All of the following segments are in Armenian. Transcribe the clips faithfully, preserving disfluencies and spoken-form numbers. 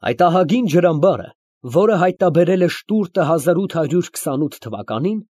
Այդ ահագին ջրամբարը, որը հայտնաբերել է Շտուրտը հազար ութ հարյուր քսանութ թվականին,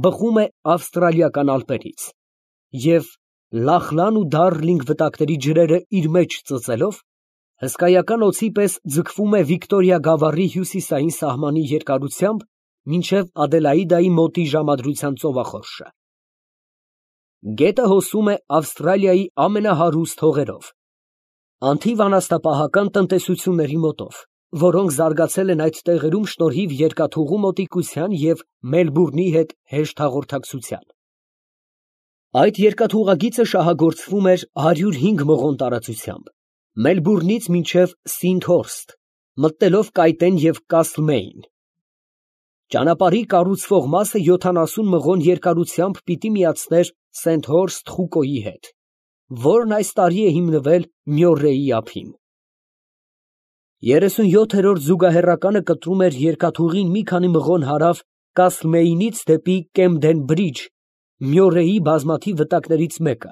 բխում է ավստրալիական ալպերից և, Լախլան ու Դարլինգ վտակների ջրերը իր մեջ ծծելով, հսկայական օձի պես ձգվում է Վիկտորիա գավառի հյուսիսային սահմանի երկարությամբ մինչև Ադելաիդայի մոտի ժամադրության ծովախորշը։ Գետը հոսում է Ավստրալիայի ամենահարուստ հողերով, անթիվ անասնապահական տնտեսությունների մոտով, որոնք զարգացել են այդ տեղերում շնորհիվ երկաթուղու մոտիկության և Մելբուրնի հետ հեշտ հաղորդակցության։ Այդ երկաթուղագիծը շահագործվում էր հարյուր հինգ մղոն տարածությամբ, Մելբուրնից մինչև Սինդհորսթ, մտնելով Կայտեն և Կասլմեյն։ Ճանապարհի կառուցվող մասը յոթանասուն մղոն երկարությամբ պիտի միացներ Սենթհորսթ խուկոյի հետ, որն այս տարի է հիմնվել Մյորրեյի ափին։ երեսունյոթերորդ զուգահեռականը կտրում էր երկաթուղին մի քանի մղոն հարավ Կասլմեյնից դեպի Կեմդեն Բրիջ, Մյորրեյի բազմաթիվ վտակներից մեկը,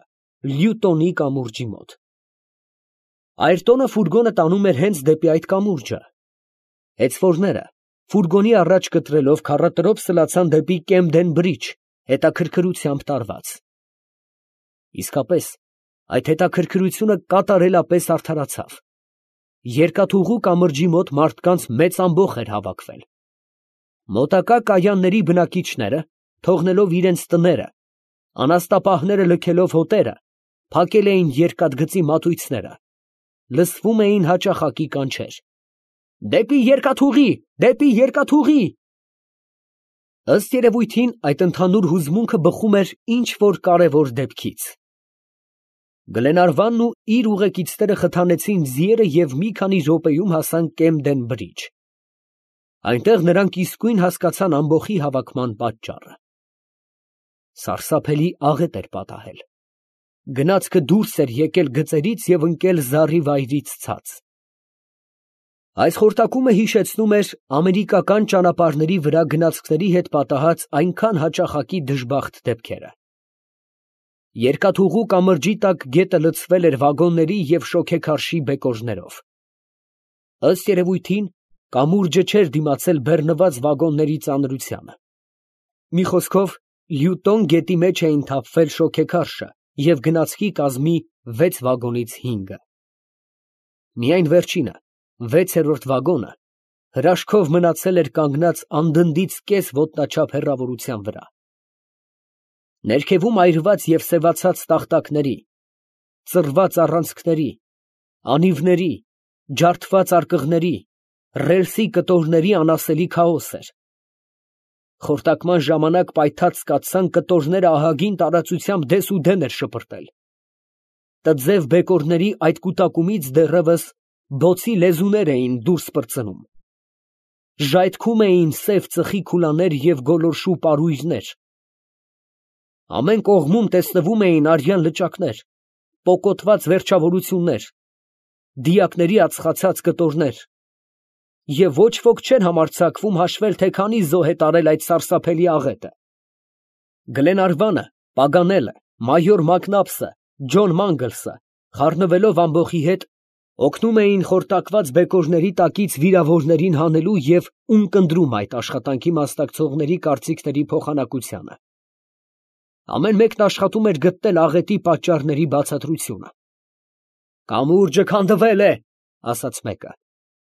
Լյուտոնի կամուրջի մոտ։ Այրտոնը ֆուրգոնը տանում էր հենց դեպի այդ կամուրջը։ Հեծվորները, ֆուրգոնի առաջ կտրելով, քառատրոփ սլացան դեպի Կեմդեն Բրիջ, հետաքրքրությամբ տարված։ Իսկապես, այդ հետաքրքրությունը կատարելապես արդարացավ։ Երկաթուղու կամրջի մոտ մարդկանց մեծ ամբոխ էր հավաքվել։ Մոտակա կայանների բնակիչները, թողնելով իրենց տները, անասնապահները լքելով հոտերը, փակել էին երկաթգծի մատույցները, լսվում էին հաճախակի կանչեր. «Դեպի երկաթուղի, դեպի երկաթուղի»։ Ըստ երևույթին, այդ ընդհանուր հուզմունքը բխում էր ինչ֊որ կարևոր դեպքից։ Գլենարվանն ու իր ուղեկիցները խթանեցին ձիերը և մի քանի րոպեում հասան Կեմդեն Բրիջ։ Այնտեղ նրանք իսկույն հասկացան ամբոխի հավաքման պատճառը։ Սարսափելի աղետ էր պատահել։ Գնացքը դուրս էր եկել գծերից և ընկել զառիվայրից ցած։ Այս խորտակումը հիշեցնում էր ամերիկական ճանապարհների վրա գնացքների հետ պատահած այնքան հաճախակի դժբախտ դեպքերը։ Երկաթուղու կամրջի տակ գետը լցվել էր վագոնների և շոգեքարշի բեկորներով։ Ըստ երևույթին, կամուրջը չէր դիմացել բեռնված վագոնների ծանրությանը։ Մի խոսքով, Լյուտոն գետի մեջ էին թափվել շոգեքարշը և գնացքի կազմի վեց վագոնից հինգը։ Միայն վերջինը, վեցերորդ վագոնը, հրաշքով մնացել էր կանգնած անդնդից կես ոտնաչափ հեռավորության վրա։ Ներքևում այրված և սևացած տախտակների, ծռված առանցքների, անիվների, ջարդված արկղների, ռելսի կտորների անասելի քաոս էր։ Խորտակման ժամանակ պայթած կաթսան կտորները ահագին տարածությամբ դեսուդեն էր շպրտել։ Տձև բեկորների այդ կուտակումից դեռևս բոցի լեզուներ էին դուրս պրծնում։ Ժայթքում էին սև ծխի քուլաներ և գոլորշու պարույրներ։ Ամեն կողմում տեսնվում էին արյան լճակներ, պոկոտված վերջավորություններ, դիակների ածխացած կտորներ, և ոչ ոք չէր համարձակվում հաշվել, թե քանի զոհ է տարել այդ սարսափելի աղետը։ Գլենարվանը, Պագանելը, մայոր Մակնաբսը, Ջոն Մանգլսը, խառնվելով ամբոխի հետ, օգնում էին խորտակված բեկորների տակից վիրավորներին հանելու և ունկնդրում այդ աշխատանքի մասնակցողների կարծիքների փոխանակությանը։ Ամեն մեկն աշխատում էր գտնել աղետի պատճառների բացատրությունը։ «Կամուրջը քանդվել է», ֊ ասաց մեկը։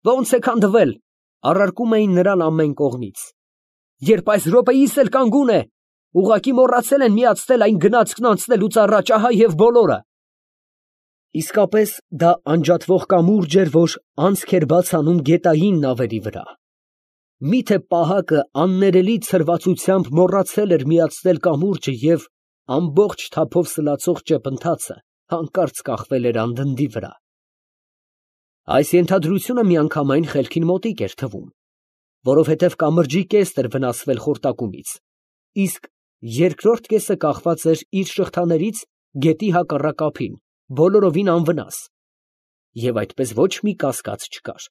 «Ո՞նց է քանդվել», ֊ առարկում էին նրան ամեն կողմից։ «Երբ այս րոպեիս էլ կանգուն է, ուղղակի մոռացել են միացնել այն գնացքն անցնելուց առաջ, ահա և բոլորը»։ Իսկապես դա անջատվող կամուրջ էր, որ անցք էր բաց անում գետային նավերի վրա։ Միթե պահակը աններելի ցրվածությամբ մոռացել էր միացնել կամուրջը և ամբողջ թափով սլացող ճեպընթացը հանկարծ կախվել էր անդնդի վրա։ Այս ենթադրությունը միանգամայն խելքին մոտիկ էր թվում, որովհետև կամրջի կեսն էր վնասվել խորտակումից, իսկ երկրորդ կեսը կախված էր իր շղթաներից գետի հակառակ ափին, բոլորովին անվնաս, և այդպես ոչ մի կասկած չկար.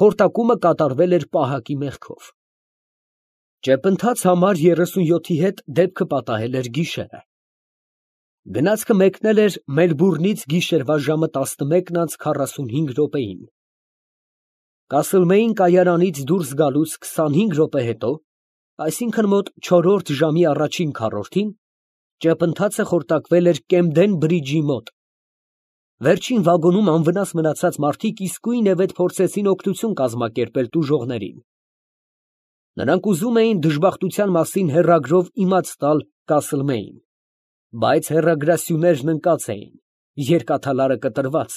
խորտակումը կատարվել էր պահակի մեղքով։ Ճեպընթաց համար երեսունյոթի հետ դեպքը պատահել էր գիշերը։ Գնացքը մեկնել էր Մելբուրնից գիշերվա ժամը տասնմեկն անց քառասունհինգ րոպեին։ Կասլմեին կայարանից դուրս գալուց քսանհինգ րոպե հետո, այսինքն մոտ չորրորդ ժամի առաջին քառորդին, ճեպընթացը խորտակվել էր Կեմդեն բրիջի մոտ։ Վերջին վագոնում անվնաս մնացած մարդիկ իսկույնևեթ փորձեցին օգնություն կազմակերպել տուժողներին։ Նրանք ուզում էին դժբախտության մասին հեռագրով իմաց տալ Կասլմեին, բայց հեռագրասյուներն ընկած էին, երկաթալարը կտրված,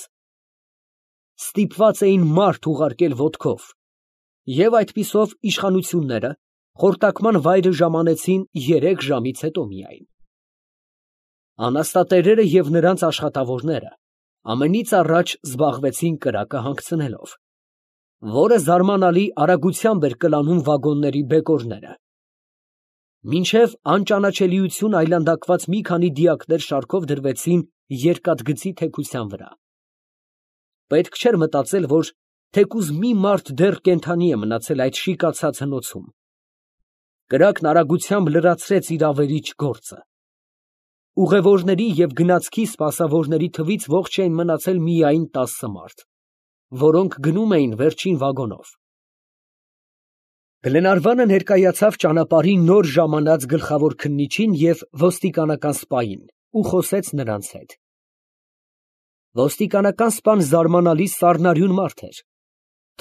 ստիպված էին մարդ ուղարկել ոտքով, և այդպիսով իշխանությունները խորտակման վայրը ժամանեցին երեք ժամից հետո միայն։ Անաստատերերը և նրանց աշխատավորները ամենից առաջ զբաղվեցին կրակը հանգցնելով, որը զարմանալի արագությամբ էր կլանում վագոնների բեկորները։ Մինչև անճանաչելիություն այլանդակված մի քանի դիակներ շարքով դրվեցին երկաթգծի թեքության վրա։ Պետք չէր մտածել, որ թեկուզ մի մարդ դեռ կենդանի է մնացել այդ շիկացած հնոցում։ Կրակն արագությամբ լրացրեց իր ավերիչ գործը։ Ուղևորների և գնացքի սպասավորների թվից ողջ էին մնացել միայն տասը մարդ, որոնք գնում էին վերջին վագոնով։ Գլենարվանը ներկայացավ ճանապարհի նոր ժամանած գլխավոր քննիչին և ոստիկանական սպային ու խոսեց նրանց հետ։ Ոստիկանական սպան զարմանալի սառնարյուն մարդ էր։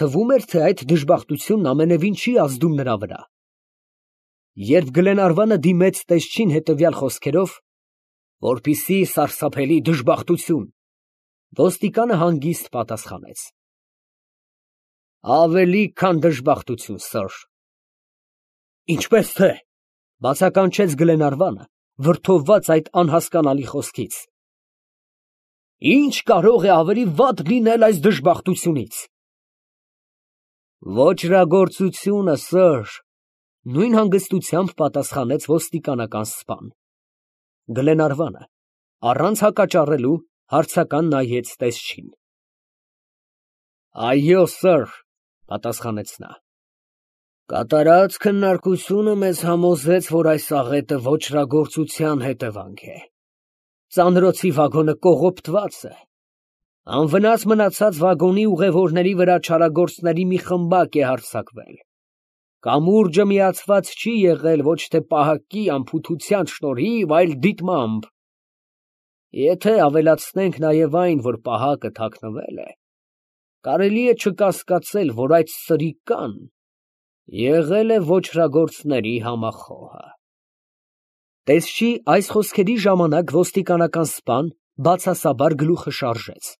Թվում էր, թե այդ դժբախտությունն ամենևին չի ազդում նրա վրա։ Երբ Գլենարվանը դիմեց տեսչին հետևյալ խոսքերով, որպիսի սարսափելի դժբախտություն, ոստիկանը հանգիստ պատասխանեց. Ավելի քան դժբախտություն, սըր։ Ինչպես թե, բացականչեց Գլենարվանը, վրդովված այդ անհասկանալի խոսքից։ Ինչ կարող է ավելի վատ լինել այս դժբախտությունից։ Ոճրագործությունը, սըր, նույն հանգստությամբ պատասխանեց ոստիկանական սպան։ Գլենարվանը առանց հակաճառելու հարցական նայեց տեսչին։ Այո, սըր, պատասխանեց նա։ Կատարած քննարկությունը մեզ համոզեց, որ այս աղետը ոճրագործության հետևանք է։ Ծանրոցի վագոնը կողոպտված է։ Անվնաս մնացած վագոնի ուղևորների վրա չարագործների մի խմբակ է հարձակվել։ Կամուրջը միացված չի եղել ոչ թե պահակի անփութության շնորհիվ, այլ դիտմամբ։ Եթե ավելացնենք նաև այն, որ պահակը թաքնվել է, կարելի է չկասկածել, որ այդ սրիկան եղել է ոճրագործների համախոհը։ Տեսչի այս խոսքերի ժամանակ ոստիկանական սպան բացասաբար գլուխը շարժեց։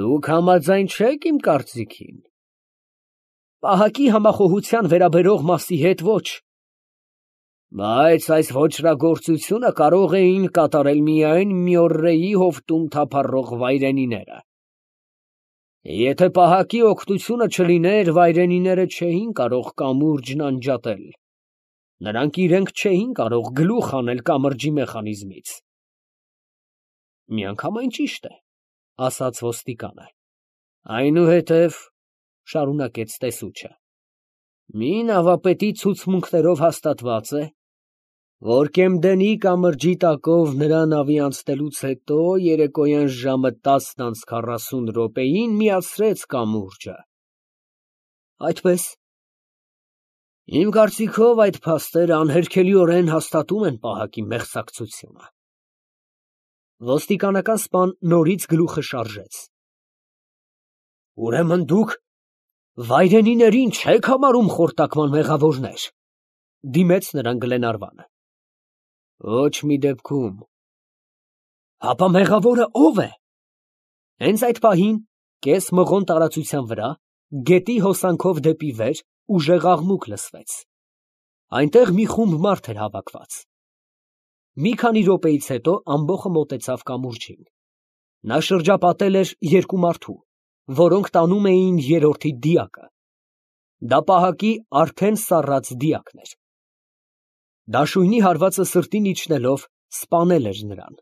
Դուք համաձայն չեք իմ կարծիքին։ Պահակի համախոհության վերաբերող մասի հետ ոչ։ Բայց այս ոճրագործությունը կարող էին կատարել միայն Մյորրեի հովտում թափառող վայրենիները։ Եթե պահակի օգնությունը չլիներ, վայրենիները չէին կարող կամուրջն անջատել։ Նրանք իրենք չէին կարող գլուխ հանել կամրջի մեխանիզմից։ Միանգամայն ճիշտ է, ասաց ոստիկանը։ Այնուհետև, շարունակեց տեսուչը, մի նավապետի ցուցմունքներով հաստատված է, որ Կեմդենի կամրջի տակով նրա նավի անցնելուց հետո երեկոյան ժամը տասն անց քառասուն րոպեին միացրեց կամուրջը։ Այդպես։ Իմ կարծիքով այդ փաստերը անհերքելիորեն հաստատում են պահակի մեղսակցությունը։ Ոստիկանական սպան նորից գլուխը շարժեց։ Ուրեմն դուք վայրենիներին չեք համարում խորտակման մեղավորներ, դիմեց նրան Գլենարվանը։ Ոչ մի դեպքում։ Հապա մեղավորը ո՞վ է։ Հենց այդ պահին, կես մղոն տարածության վրա, գետի հոսանքով դեպի վեր, ուժեղ աղմուկ լսվեց։ Այնտեղ մի խումբ մարդ էր հավաքված։ Մի քանի րոպեից հետո ամբոխը մոտեցավ կամուրջին։ Նա շրջապատել էր երկու մարդու, որոնք տանում էին երրորդի դիակը։ Դա պահակի արդեն սառած դիակն էր։ Դաշույնի հարվածը սրտին իջնելով սպանել էր նրան։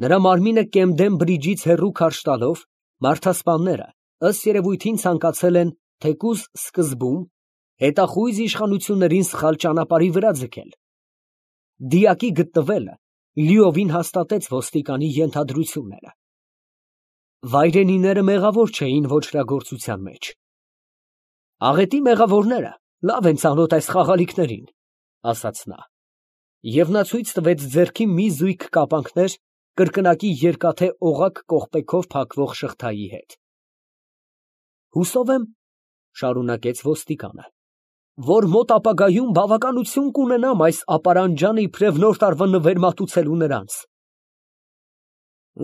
Նրա մարմինը Կեմդեն բրիջից հեռու քարշ տալով, մարդասպանները, ըստ երևույթին, ցանկացել են թեկուզ սկզբում հետախույզ իշխանություններին սխալ ճանապարհի վրա ձգել։ Դիակի գտնվելը լիովին հաստատեց ոստիկանի ենթադրությունները։ Վայրենիները մեղավոր չէին ոչրագործության մեջ։ Աղետի մեղավորները լավ են ծանոթ այս խաղալիքներին, ասաց նա, և նա ցույց տվեց ձեռքի մի զույգ կապանքներ կրկնակի երկաթե օղակ կողպեքով փակվող շղթայի հետ։ Հուսով եմ, շարունակեց ոստիկանը, որ մոտ ապագայում բավականություն կունենամ այս ապարանջանը իբրև նոր տարվա նվեր մատուցելու նրանց։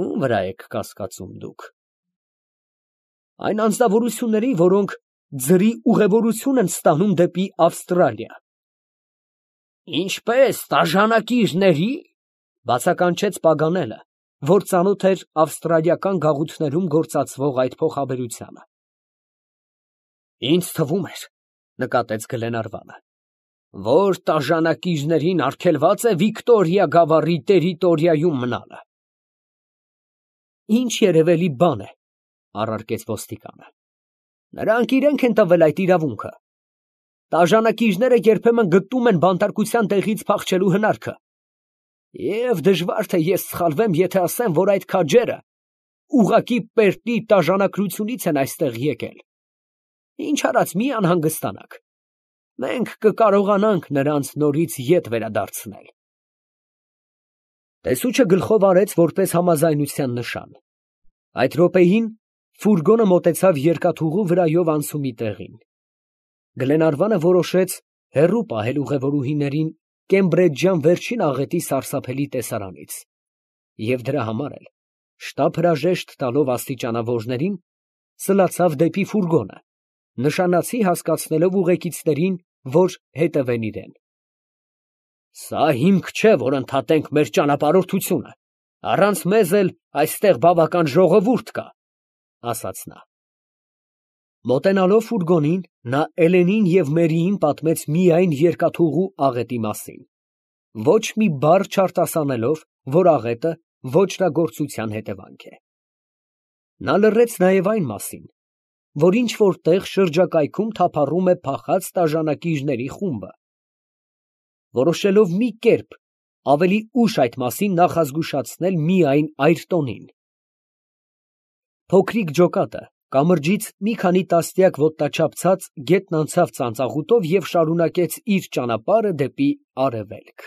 Ում վրա եք կասկածում դուք։ Այն անձնավորությունների, որոնք ձրի ուղևորություն են ստանում դեպի Ավստրալիա։ Ինչպես, տաժանակիρների, բացականչեց Պագանելը, որ ծանոթ էր ավստրալիական գաղութներում գործածվող այդ փոխաբերությանը։ Ինձ թվում էր, նկատեց Գլենարվանը, որ տաժանակիρներին արգելված է Վիկտորիա գավառի տերիտորիայում մնալը։ Ինչ երևելի բան է, առարկեց ոստիկանը։ Նրանք իրենք են տվել այդ իրավունքը։ Տաժանակիρները երբեմն գտնում են բանտարկության տեղից փախչելու հնարքը։ Եվ դժվար թե ես սխալվեմ, եթե ասեմ, որ այդ քաջերը ուղղակի պերտի տաժանակրությունից են այստեղ եկել։ Ինչ արած մի անհանգստանաք։ Մենք կկարողանանք նրանց նորից ետ վերադարձնել։ Տեսուչը գլխով արեց որպես համաձայնության նշան։ Այդ րոպեին ֆուրգոնը մոտեցավ երկաթուղու վրայով անցումի տեղին։ Գլենարվանը որոշեց հեռու պահել ուղևորուհիներին Կեմբրեջյան վերջին աղետի սարսափելի տեսարանից, և դրա համար էլ, շտապ հրաժեշտ տալով աստիճանավորներին, սլացավ դեպի ֆուրգոնը, նշանացի հասկացնելով ուղեկիցներին, որ հետևեն իրեն։ Սա հիմք չէ, որ ընդհատենք մեր ճանապարհորդությունը, առանց մեզ էլ այստեղ բավական ժողովուրդ կա, ասաց նա։ Մոտենալով ֆուրգոնին, նա Էլենին և Մերիին պատմեց միայն երկաթուղու աղետի մասին, ոչ մի բառ չարտասանելով, որ աղետը ոճրագործության հետևանք է։ Նա լռեց նաև այն մասին, որ ինչ֊որ տեղ շրջակայքում թափառում է փախած տաժանակիρների խումբը։ Որոշելով մի կերպ ավելի ուշ այդ մասին նախազգուշացնել միայն Այրտոնին։ Փոքրիկ ջոկատը կամրջից մի քանի տասնյակ ոտնաչափ ցած գետն անցավ ծանծաղուտով և շարունակեց իր ճանապարհը դեպի արևելք։